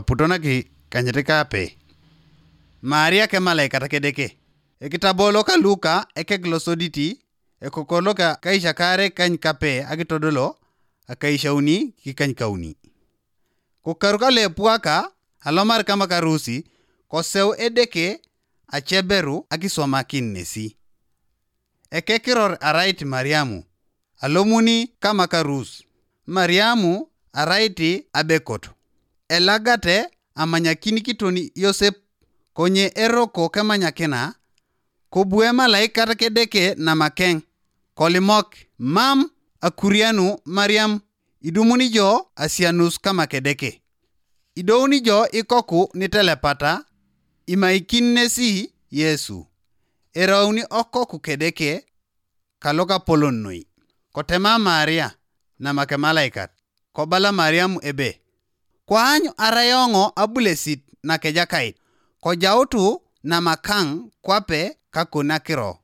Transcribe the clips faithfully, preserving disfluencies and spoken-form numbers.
Aputonaki kanyit kape. Maria ke malaikat kedeke. Ekitabo loka Luka ekek losoditi, ekokor loka kaishakare kany kape akitodolo, akaishauni kikany kauni. Kokaru kale puaka alomar kama karusi, koseu edeke acheberu akiswamakin nesi. Ekekiror arait Mariamu, alomuni kama karus. Mariamu arait abekot. Elagate amanyakin kiton Yosep, konye eroko kemanyakina, kobue malaikat kedeke namakeng, kolimok, mam akurianu Mariam, idumuni jo asianus kama kedeke. Idouni jo ikoku nitelepata, imaikin nesi Yesu. Erauni okoku kedeke kalokapolon noi. Kotema Maria, namake malaikat, kobala Mariam ebe, kwaanyu arayoŋo abulesit nakejakait, kojautu namakang kwape kakonakiro.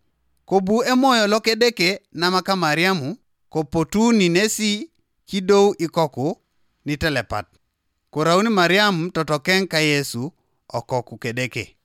Kobu emoyo lokedeke namaka Mariamu, kopotuni nesi kidou ikoku nitelepat. Korauni Mariam totokeŋ ka Yesu okoku kedeke.